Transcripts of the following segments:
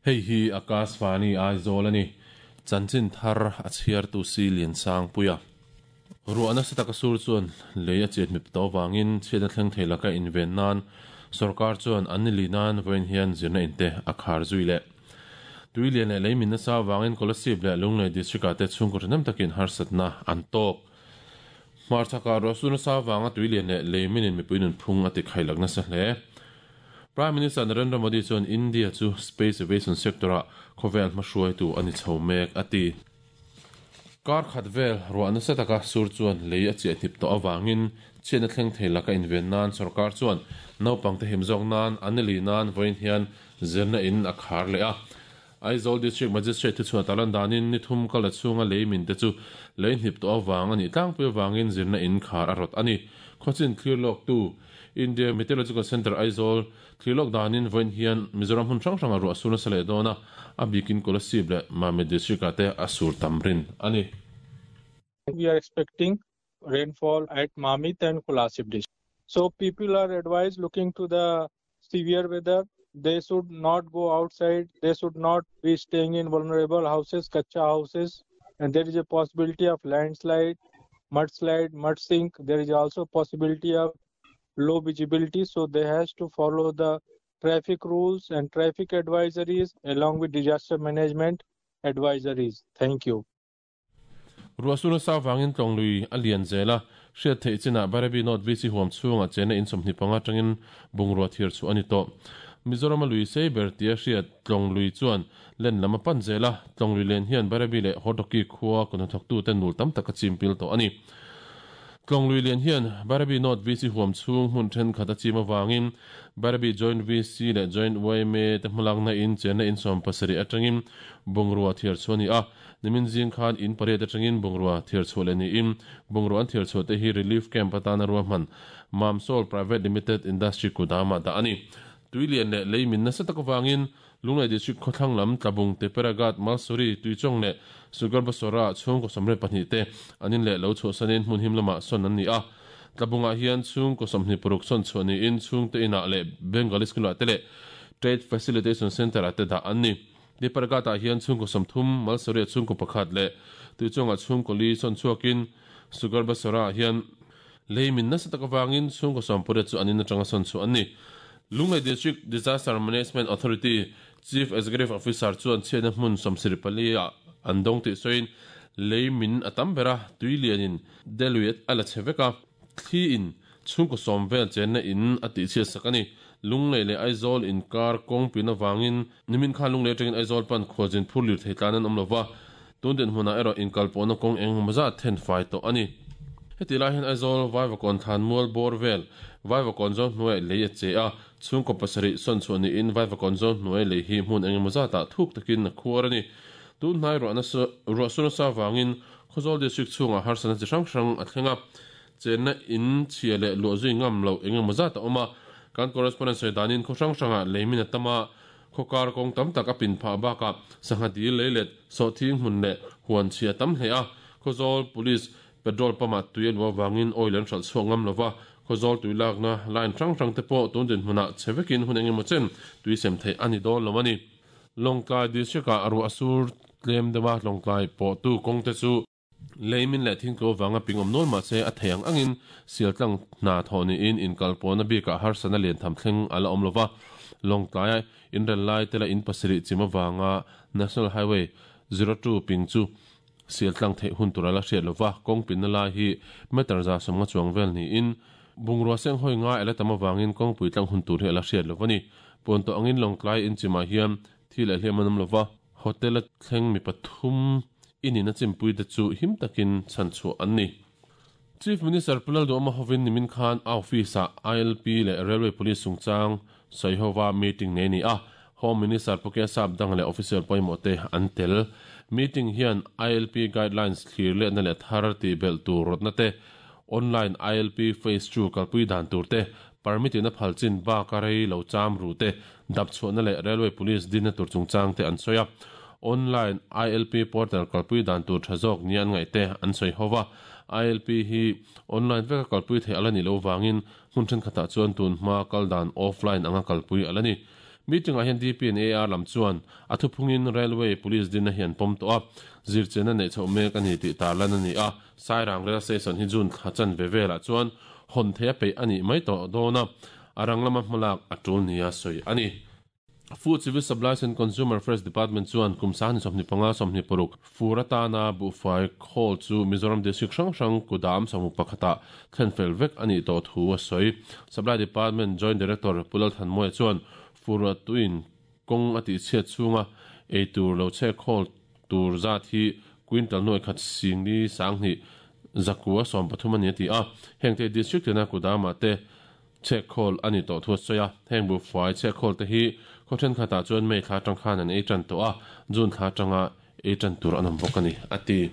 Hei hi Akashvani Aizawl a ni. Chanchin thar a chhiartu si Liansangpuia. Ruah nasa taka sur chuan lei a chet mip tawh avangin chhiatna thleng thei laka inven nan sorkar chuan an ni li nan vawiin hian zirna in te a khar zui leh. Tui lian leh lei min nasa avangin Kolasib leh Lunglei District ah te chhungkaw thahnem takin harsatna an tawk. Hmarchhakah ruah sur nasa avanga tui lian leh lei minin mipui nunphung a tikhailak nasa hle. Prime Minister Narendra Modi chuan India chu space aviation sector-ah khawvel hmahruaitu a ni chho mek a ti. Kar khat vel ruah nasa taka sur chuan lei a chiah hnip tawh avangin chhiatna thleng thei laka inven nan sorkar chuan naupangte him zawk nan an ni li nan vawiin hian zirna in a khar leh a. Aizawl District Magistrate thuchhuah tarlan danin ni thum kal la chhunga lei min te chu lei hnip tawh avang a nih tlangpui avangin zirna in khar a rawt a ni. Khawchin thlir lawktu India Meteorological Centre Aizawl thlir lawk danin vawiin hian Mizoram hmun hrang hrangah ruah a sur nasa leh dawn a, a bikin Kolasib leh Mamit District ah te a sur tam rin a ni. We are expecting rainfall at Mamit and Kolasib district. So people are advised looking to the severe weather they should not go outside they should not be staying in vulnerable houses kacha houses and there is a possibility of landslide mudslide mud sink there is also possibility of low visibility so they has to follow the traffic rules and traffic advisories along with disaster management advisories thank you Ruah sur nasa avangin tlawng lui a lian zel a, hriat theih chinah Bairabi North VC huam chhungah chena in 25 atangin bungrua thir chhuah a ni tawh. Mizorama lui sei ber tia hriat tlawng lui chuan len lam a pan zel a, tlawng lui len hian Bairabi leh Hortoki khua kut hnathawktute nul tam tak a chim pil tawh a ni. Tlawng lui lian hian Bairabi North VC huam chhung hmun thenkhat a chim avangin Bairabi Joint VC leh Joint yma te hmalakna in chenna in 70 atangin bungrua thiar chhuah a ni a, Nimin zing khan in pariat atangin bungrua thiar chhuah leh niin, bungrua an thiar chhuah te hi Relief Camp atana ruahman Mamsol Private Limited Industry kudamah dah a ni. Tui lian leh lei min nasa tak avangin Lunglei District khawthlang lam Tlabung, Teperaghat, Malsuri, Tuichawng leh Sugarbasora ah chhungkaw 22 te an in leh lo chhuahsanin hmun him lamah sawn an ni a. Tlabungah hian chhungkaw 26 sawn chhuah niin chhungte inah leh Bengali School ah te leh Trade Facilitation Centre ah te dah an ni. Depargat-ah hian chhungkaw 30, Malsawria chhungkaw pakhat leh Tuichawngah chhungkaw li sawn chhuakin Sugarbasara-ah hian lei min nasa tak avangin chhungkaw 18 chu an in atanga sawn chhuah an ni. Lunglei District Disaster Management Authority Chief Executive Officer chuan chhiatna hmun 74 ah an dawng tih sawiin lei min a tam ber a, tui lianin Delui a la chhe vek a, thli in Chhungkaw sawm vel chenna in a tihchhiat sak a ni. Lunglei leh Aizawl inkar kawng pin avangin nimin khan Lunglei atangin Aizawl pan khualzin phur lir thei tlan an awm lova, tun dinhmunah erawh inkalpawhna kawng eng emaw zat then fai tawh a ni. Heti lai hian Aizawl Vaivakawn thlan mual bawr vel Vaivakawn zawn hnuaiah lei a che a, chhungkaw pasarih sawn chhuah niin Vaivakawn zawn hnuai lei hi hmun eng emaw zatah thuk takin a khuar a ni. Tun hnai ruah sur nasa avangin Khawzawl District chhungah harsatna chi hrang hrang a thleng a, Chenna in chhia leh luah zui ngam loh eng emaw zat a awm a, kan correspondent sawi danin khaw hrang hrangah leimin a tam a, khaw kar kawng tam tak a pin phah bakah sangha dil lei let sawhthing hmun leh huan chhia a tam hle a, Khawzawl Police petrol pump ah tui a luh avangin oil an hralh chhuak ngam lova, Khawzawl tui lakna line hrang hrang te pawh tun dinhmunah chhe vekin hun eng emaw chen tui sem theih a ni dawn lo a ni. Lawngtlai District ah ruah sur tlem deuh a, Lawngtlai pawhtu kawng te chu Lei min leh thingtlu avanga ping awm nual mahse a thei ang angin sialtlang hna thawh niin inkalpawhna bikah harsatna lian tham thleng a la awm lova. Lawngtlaia inrel lai tela in pasarih chim avanga National Highway 02 ping chu sialtlang theih hun tur a la hriat lova, kawng pinna lai hi meter 150 chuang vel niin bungrua senghawi ngai a la tam avangin kawngpui tlang hun tur hi a la hriat lova ni. Puantawh angin Lawngtlai inchimah hian thi leh hliam an awm lova. Hotel a thleng mi pathum inin a chimpui te chu him takin chhan chhuah an ni. Chief Minister Pu Lalduhawma hovin nimin khan a office ah ILP leh Railway Police chungchang sawihova meeting nei a ni a, Home Minister Pu Kesap Dang leh official pawimawh te an tel. Meeting hian ILP guidelines thlir letna leh thar tih belh tur rawtna te, online ILP phase 2 kalpui dan tur te, permit in a phal chin bak a rei lo cham ru te, dap chhuahna leh Railway Police dinna tur chungchang te an sawi a. Online ILP portal kalpui dan tur tha zawk nia an ngaih te an sawi ho va. ILP hi online veka kalpui theih a la nih loh vangin hmun thenkhatah chuan tun hma kal dan offline anga kalpui a la ni. Meeting-ah hian DP and AR lam chuan a thuphungin Railway Police dinna hi an pawm tawh a, zirchianna neih chhoh mek a ni tih tarlan a ni a. Sairang Rail Station hi June thla chanve velah chuan hawn theih a peih a nih mai tawh dawn a, a rang lama hmalak a tul nia sawi a ni. Food Civil Supplies and Consumer Affairs Department chuan kum 2025 26 fur atana buhfai khawl chu Mizoram District hrang hrang kudam 11 ah thlen fel vek a nih tawh thu a sawi. Supply Department Joint Director Pu Lalthanmawia chuan fur ruahtuin kawng a tihchhiat chhunga ei tur lo chhek khawl tur zat hi quintal nuai khat singli sanghnih zakua 13 a ni a ti a. Hengte District tina kudamah te Chhek khawl a ni tawh thu a sawi a, heng buhfai chhek khawl te hi khaw thenkhatah chuan May thla atang khan an ei tan tawh a, June thla atanga ei tan tur an awm bawk a ni, a ti.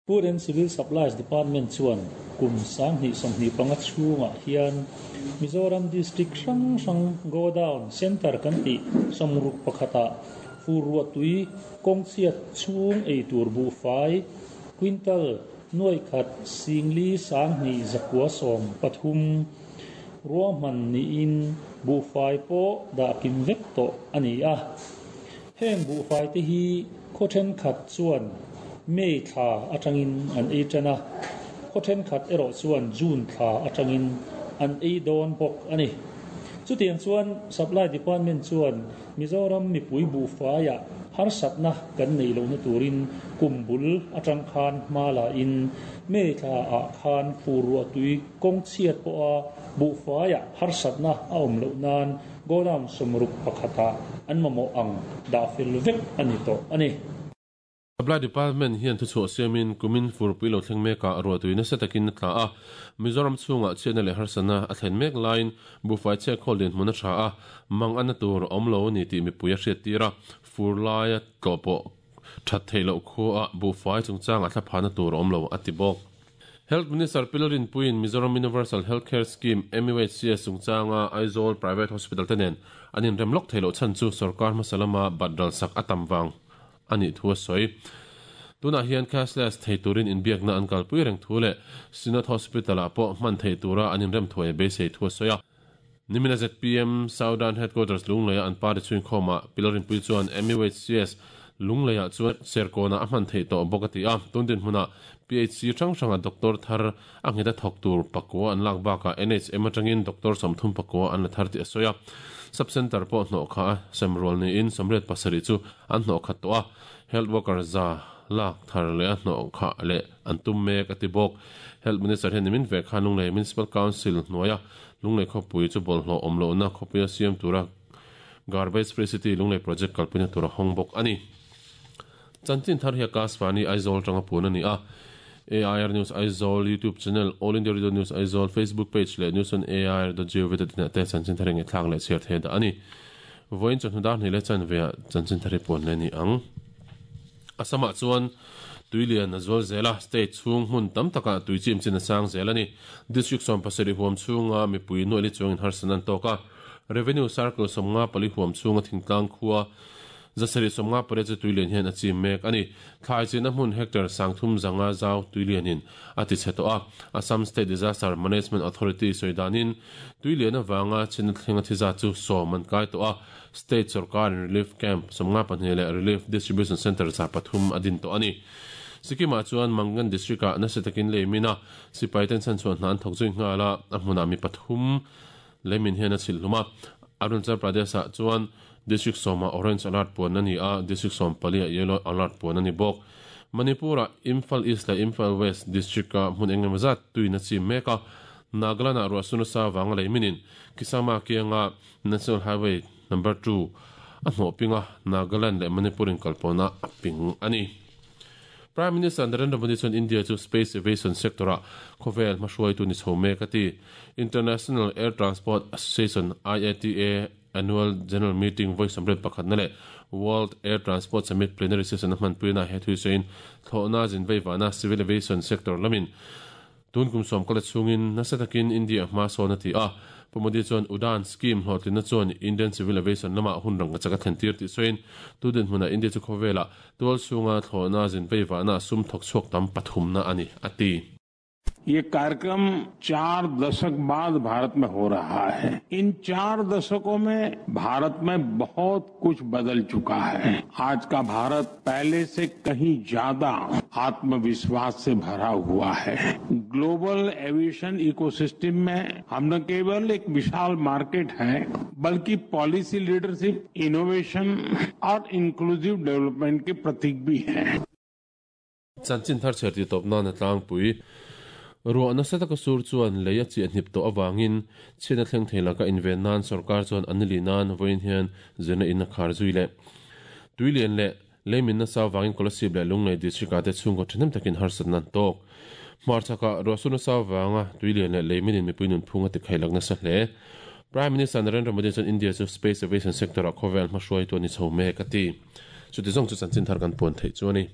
Food and Civil Supplies Department chuan kum 2025 chhungah hian Mizoram District hrang hrang Godown Centre kan tih 61 ah fur ruahtui kawngchhiat chhung ei tur buhfai quintal Nuai khat singli sanghnih zakua 13 ruahman niin buhfai pawh dah kim vek tawh a ni a. Heng buhfai te hi khaw thenkhat chuan May thla atangin an ei tan a, khaw thenkhat erawh chuan June thla atangin an ei dawn bawk a ni. Chutiang chuan Supply Department chuan Mizoram mipui buhfaiah harsatna kan neih lohna turin kum bul atang khan hma la in May thla ah khan fur ruahtui kawng chhiat pawha buhfaiah harsatna a awm loh nan godown 61 ah an mamawh ang dah fel vek a ni tawh a ni. Supply Department hian thuchhuah siamin kumin furpui lo thleng mekah ruahtui nasa takin a tla a, Mizoram chhungah chhiatna leh harsatna a thlen mek laiin buhfai chhek khawl dinhmun a tha a, mang ana tur a awm lo a ni tih mipui a hriattir a, fur laia tlawh pawh that theih loh khuaah buhfai chungchangah thlaphahna tur a awm lo a ti bawk. Health Minister Pi Lalrinpuiin Mizoram Universal Health Care Scheme, MUHCS, chungchanga Aizawl Private Hospital te nen an inrem lawk theih loh chhan chu sorkar hmasa lama bat ralsak a tam vang a nih thu a sawi. Tunah hian cashless thei turin inbiakna an kalpui reng thu leh Synod Hospital-ah pawh hman theih tura an inrem thuai a beisei thu a sawi a. Nimina zpm Southern Headquarters Lungleia an party chhuinkhawmah Pi Lalrinpuii chuan MUHCS Lungleiah chuan Serkawnah a hman theih tawh bawk a ti a. Tun dinhmunah PHC hrang hranga doctor thar a nghet a thawk tur pakua an lak bakah NHM atangin doctor 30 pakua an la thar tih a sawi a. Sub Centre pawh hnawh kha a sem rual niin 87 chu an hnawh khat tawh a, Health Worker za lak thar leh a hnawh khah leh an tum mek a ti bawk. Health Minister hian nimin vek khan Lunglei Municipal Council hnuaia Lunglei khawpui chu bawlhhlawh awm lohna khawpuia siam tura Garbage Free City Lunglei Project kalpuina tur a hawng bawk a ni. Chanchin thar hi Akashvani Aizawl atanga puan a ni a. AIR News Aizawl YouTube channel, All India Radio News Aizawl Facebook page leh News on AIR dot gov dot in ah te chanchin thar hi ngaihthlak leh chhiar thei dah a ni. Vawiin chawhnu dar hnih leh chanve ah chanchin thar hi puan leh a ni ang. Assam-ah chuan tui lian a zual zel a, state chhung hmun tam takah tui chim chin a sang zel a ni. District 17 huam chhunga mipui nuaili chuangin harsatna an tawk a. Revenue Circle 54 huam chhunga thingtlang khua 758 chu tuilian hian a chim mek a ni. Thlai chinna hmun hectare 3500 zau tuilianin a ti chhe tawh a. Assam State Disaster Management Authority sawi danin tuilian avanga chinna thleng a thi zat chu 10 an kai tawh a. State sorkarin Relief Camp 52 leh Relief Distribution Centre 300 a din tawh a ni. Sikkim-ah chuan Mangan District-ah nasa takin lei min a, sipai ten chhanchhuah hna an thawk zui nghal a, a hmunah mi pathum Leimin hian a chhilh hlum a, Arunachal Pradesh-ah chuan District sawmah Orange Alert puan a ni a, District 14-ah Yellow Alert puan a ni bawk. Manipur-ah Imphal East leh Imphal West District-a hmun eng emaw zat tuin a chim mek a, Nagaland-ah ruah sun nasa avanga leiminin Kisama kianga National Highway Number 2 a hnawh ping a, Nagaland leh Manipur inkalpawhna a ping a ni. Prime Minister Narendra Modi chuan India chu space aviation sector-ah khawvel hmahruaitu ni chho mek a ti. International Air Transport Association, IATA, Annual General Meeting vawi sawmriat pakhatna leh World Air Transport Summit Plenary Session a hmanpuina he thui sawiin thlawhna zinveivahna civil aviation sector lamin Tun kum sawm kala chhungin nasa takin India hma sawn a ti a. Pu Modi chuan Udan scheme hlawhtlinna chuan Indian Civil Aviation lamah hun rangka chak a thlen tir tih sawiin, tu dinhmunah India chu khawvelah tual chhunga thlawhna zinveivahna sum thawk chhuak tam pathumna a ni, a ti. ये कार्यक्रम 4 दशक बाद भारत में हो रहा है। इन 4 दशकों में भारत में बहुत कुछ बदल चुका है। आज का भारत पहले से कहीं ज्यादा आत्मविश्वास से भरा हुआ है। Global aviation ecosystem में हम न केवल एक विशाल मार्केट है, बल्कि policy leadership, innovation और इंक्लूसिव डेवलपमेंट के प्रतीक भी हैं। Chanchin thar chhiar tih tawp nan a tlangpui. Ruah nasa taka sur chuan lei a chiah hnip tawh avangin chhiatna thleng thei laka inven nan sorkar chuan an ni nan vawiin hian zirna in a khar zui leh. Tui lian leh lei min nasa avangin Kolasib leh Lunglei district ah te chhungkaw thahnem takin harsatna an tawk. Hmarchhakah ruah sur nasa avanga tui lian leh lei minin mipui nunphung a tikhai lak nasa hle. Prime Minister Narendra Modi chuan India chu space aviation sector ah khawvel hmahruaitu a ni chho mek a ti. Chuti zawng chu chanchin thar kan puan theih chu a ni.